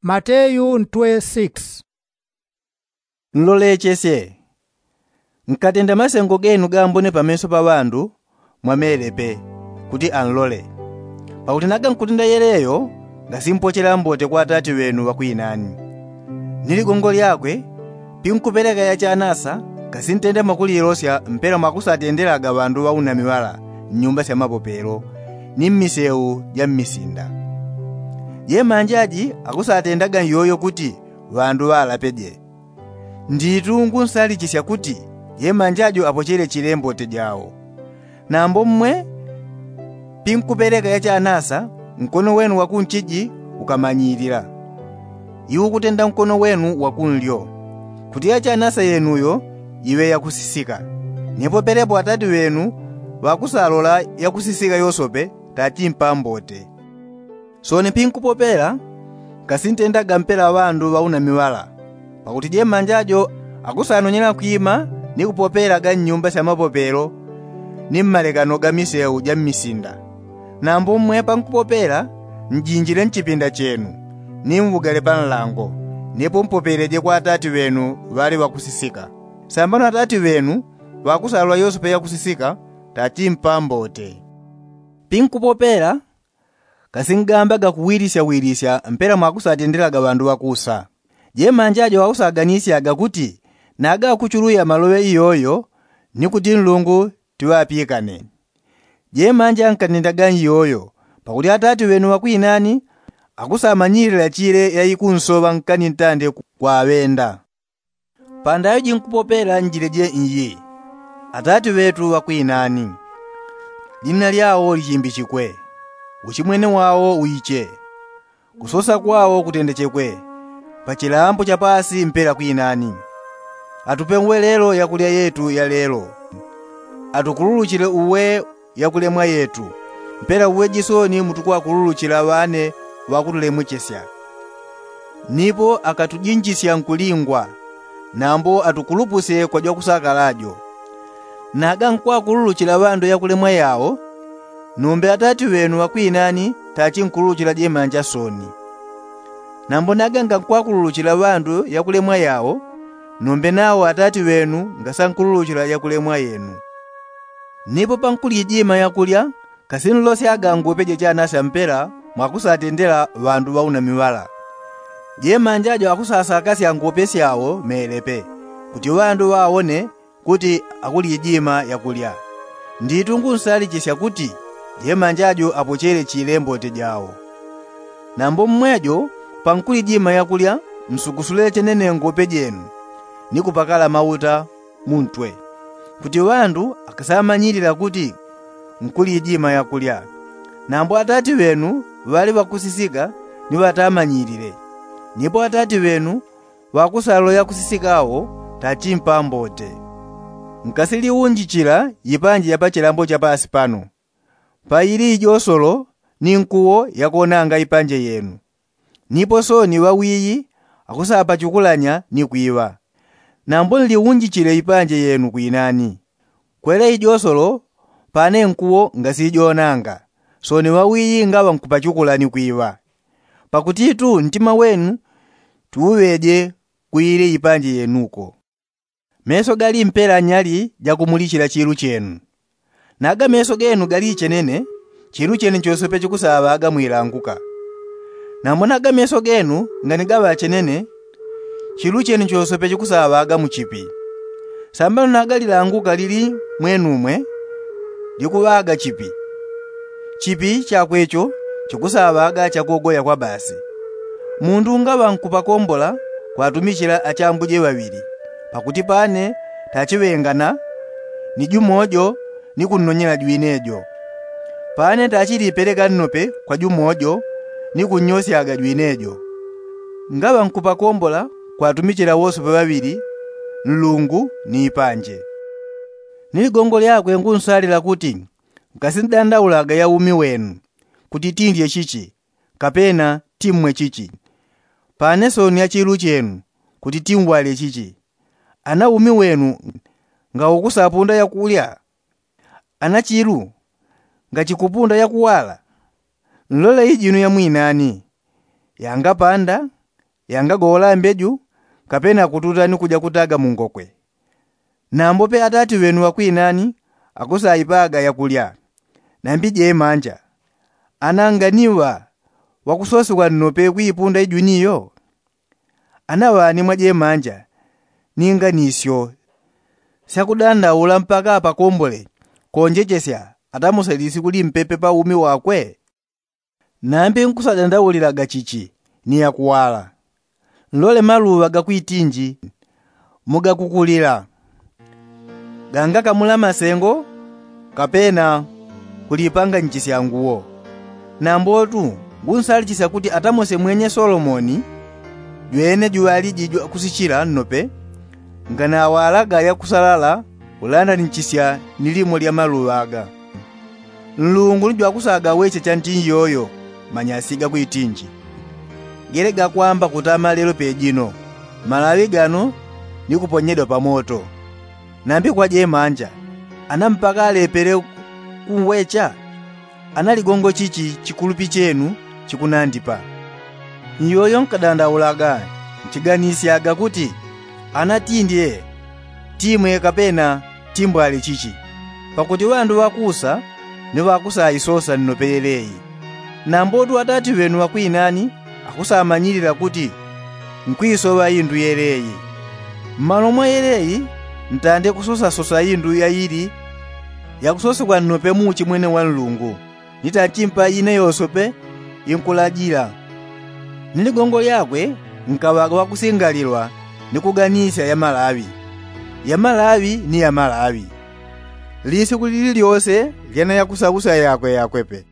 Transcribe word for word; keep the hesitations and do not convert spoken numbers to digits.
Mateyu ntwe six. Nlolechesye, nkatenda masengo genu gambone pameso pa ŵandu, mwamelepe, kuti anlole. Pakuti naga nkutenda yeleyo, ngasimpochela mbote kwa atati ŵenu ŵakwinani. Ni ligongo lyakwe, pinkupeleka yachanasa, ngasintenda mwakulilosya mpela mwakusatendelaga ŵandu ŵaunami ŵala, mnyumba sya mapopelo, ni mmiseu ja mmisinda. Jemanja ji akusatendaga nyoyo kuti ŵandu ŵalapeje. Nditu ngunsalichisya kuti jemanja jo apochele chile mbote jao. Nambo mmwe, pinkupeleka yachanasa, nkono wenu wakunchiji ukamanyilila, iwukutenda nkono wenu wakunlyo, kuti yachanasa yenuyo iŵe yakusisika. Nipo pelepo atati ŵenu ŵakusalola yakusisika yosope, tachimpa mbote. Soni pinkupopela, ngasintendaga mpela ŵandu ŵaunami ŵala, pakuti jemanja jo akusanonyela kwima ni kupopelaga mnyumba sya mapopelo, ni mmalekano ga miseu ja mmisinda. Nambo mmwe pankupopela, njinjile mchipinda chenu, ni mvugale panlango, nipo mpopeleje kwa atati ŵenu ŵali ŵakusisika. Sambano atati ŵenu ŵakusalola yosope yakusisika, tachimpa mbote. Pinkupopela, ngasingambaga kuwilisyawilisya mpela mwakusatendelaga ŵandu ŵakusa. Jemanja jo akusaganisyaga kuti naga akuchuluya maloŵe iyoyo, ni kuti nlungu tiŵapikane. Jemanja nkatendaga nyoyo, pakuti atati ŵenu ŵakwinani akusamanyilila chile yaikunsoŵa nkani ntande kwaŵenda. Pandaŵe jinkupopela njile je iyi: Atati ŵetu ŵakwinani, jina lyao lichimbichikwe, uchimwene wao uiche, kusosa kwao kutendechekwe, pachilambo cha paasi mpela kwinani. Atupe uwelelo yakulya yetu ya lelo. Atukululuchile uwe yakulemwa yetu, mpela uwe jisoni mutukwakululuchila ŵane ŵakutulemwechesya. Nipo akatujinjisya nkulingwa, nambo atukulupusye kwa jwakusakala jo. Naga nkwakululuchila ŵandu yakulemwa yao, nombe atati ŵenu ŵakwinani tachinkululuchila jemanja soni. Nambo naga ngankwakululuchila ŵandu yakulemwa yao, nombe nao atati ŵenu ngasankululuchila yakulemwa yenu. Nipo pankulijima yakulya, ngasinlosyaga ngupe jechanasya mpela mwakusatendela ŵandu ŵaunami ŵala. Jemanja jo akusasakasya ngupe syao melepe, kuti ŵandu ŵaone kuti akulijima yakulya. Nditu ngunsalichisya kuti jemanja jo apochele chile mbote jao. Nambo mmwe jo pankulijima yakulya, msukusule chenene ngupe jenu, ni kupakala mauta muntwe, kuti ŵandu akasamanyilila kuti nkulijima yakulya. Nambo atati ŵenu ŵali ŵakusisika ni ŵatamanyilile, nipo atati ŵenu ŵakusalola yakusisika awo tachimpa mbote. Nkasiliunjichila ipanje ya pachilambo cha paasi pano, paili ijosolo ni nkuwo yakonanga ipanje yenu. Nipo soni ŵawiyi akusapachukulanya ni kwiŵa. Nambo nliunjichile ipanje yenu kwinani. Kwele ijosolo, pane nkuwo ngasijonanga, soni ŵawiyi ngaŵa nkupachukula ni kwiŵa. Pakutitu ntima wenu tiuŵeje kwile ipanje yenuko. Meso gali mpela nyali jakumulichila chilu chenu. Naga meso genu gali ichenene, chilu chenu chosope chikusaŵaga mwilanguka. Nambo naga meso genu ngani gaŵa achenene, chilu chenu chosope chikusaŵaga muchipi. Sambano naga lilanguka lili mwenumwe, likuŵaga chipi. Chipi chakwe icho chikusaŵaga chakogoya kwa basi. Mundu ngaŵa nkupakombola kwatumichila achambuje ŵaŵili, pakuti pane tachiŵengana ni jumojo ni kunnonyela jwinejo. Pane tachilipeleka nnope kwa jumojo ni kunnyosyaga jwinejo. Ngaŵa nkupakombola kwatumichila wosope ŵaŵili, nlungu ni ipanje. Ni ligongo lyakwe ngunsalila kuti ngasindandaulaga ya umi wenu, kuti tindye chichi, kapena timmwe chichi. Pane soni ya chilu chenu, kuti timwalye chichi. Ana umi wenu ngaukusapunda yakulya? Ana chilu ngachikupunda yakuwala? Nlole ijinu ya mwinani, yangapanda, yangagowola mbeju, kapena kututa ni kuja kutaga mungokwe. Nambo pe atati ŵenu ŵakwinani akusaipaga yakulya, nambi jemanja. Ana nganiŵa ŵakusosewa nnope kuipunda ijuni iyo? Ana ŵani mwa jemanja ni nganisyo syakudandaula mpaka apakombole konjechesya atamose lisiku limpepe pa umi wakwe? Nambi nkusadandaulilaga chichi ni yakuwala. Nlole maluŵa gakwitinji mugakukulila, gangakamula masengo kapena kulipanganichisya nguwo. Nambotu ngunsalichisya kuti atamose mwenye solomoni jwene juŵaliji jwakusichila nnope nganawalaga yakusalala kulandanichisya ni limo lya maluŵa aga. Nlungu ni jwakusaga weche chanti nyoyo manyasi gakwitinji gele gakwamba kutama lelo pejino, malaŵi gano ni kuponyedwa pamoto. Nambi kwa jemanja ana mpaka alepele kunwecha? Ana ligongo chichi chikulupi chenu chikunandipa? Nyoyo nkadandaulaga nchiganisyaga kuti ana tindye timwe kapena timbwale chichi. Pakuti ŵandu ŵakusa ni ŵakusaisosa nnope yeleyi. Nambotu atati ŵenu ŵakwinani akusamanyilila kuti nkwisoŵa indu yeleyi. Mmalo mwa yeleyi ntande kusosasosa indu yaili yakusosewa nnope mu uchimwene wa nlungu. Ni tanchimpa ine yosope inkulajila. Ni ligongo lyakwe nkaŵaga wakusingalilwa ni kuganisya ya malaŵi. Ya malaŵi ni ya malaŵi. Lisiku lili lyose lyana yakusausa yakwe yakwepe.